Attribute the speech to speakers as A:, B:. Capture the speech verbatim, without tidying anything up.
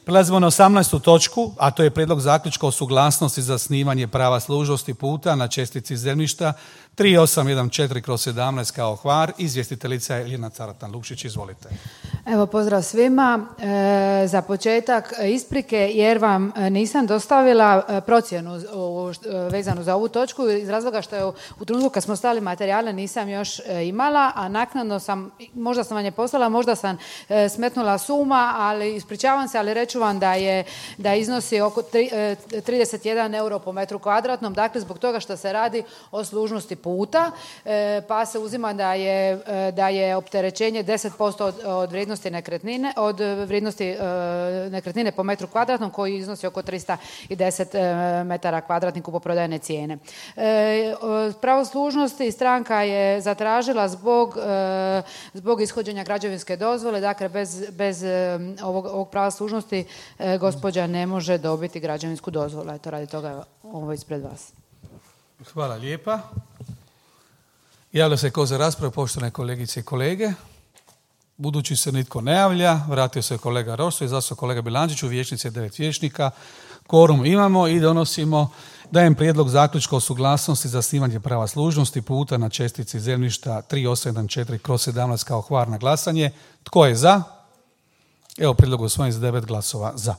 A: Prelazimo na osamnaestu točku, a to je prijedlog zaključka o suglasnosti za zasnivanje prava služnosti puta na čestici zemljišta tri osam jedan četiri kroz sedamnaest kao Hvar. Izvjestiteljica je Ljiljana Caratan Lukšić, izvolite.
B: Evo, pozdrav svima. E, za početak isprike jer vam nisam dostavila procjenu vezanu za ovu točku iz razloga što je u trenutku kad smo stali materijale nisam još imala, a naknadno sam, možda sam vam je poslala, možda sam smetnula suma, ali ispričavam se, ali reću vam da je da iznosi oko trideset jedan euro po metru kvadratnom, dakle zbog toga što se radi o služnosti puta, pa se uzima da je, da je opterećenje deset posto od, od vrijednosti nekretnine, od vrijednosti nekretnine po metru kvadratnom koji iznosi oko tristo deset metara kvadratnih kupoprodajne cijene. Pravo služnosti stranka je zatražila zbog, zbog ishođenja građevinske dozvole, dakle bez, bez ovog, ovog prava služnosti gospođa ne može dobiti građevinsku dozvolu. Eto, radi toga ovo ispred vas.
A: Hvala lijepa. Javlja se ko za raspravu, poštovane kolegice i kolege. Budući se nitko ne javlja, vratio se kolega Rosso i zastao kolega Bilandžić, u vijećnici je devet vijećnika. Kvorum imamo i donosimo, dajem prijedlog zaključka o suglasnosti za zasnivanje prava služnosti puta na čestici zemljišta tri osam jedan četiri kroz sedamnaest kao Hvar na glasanje. Tko je za? Evo, prijedlog usvojen s devet glasova za.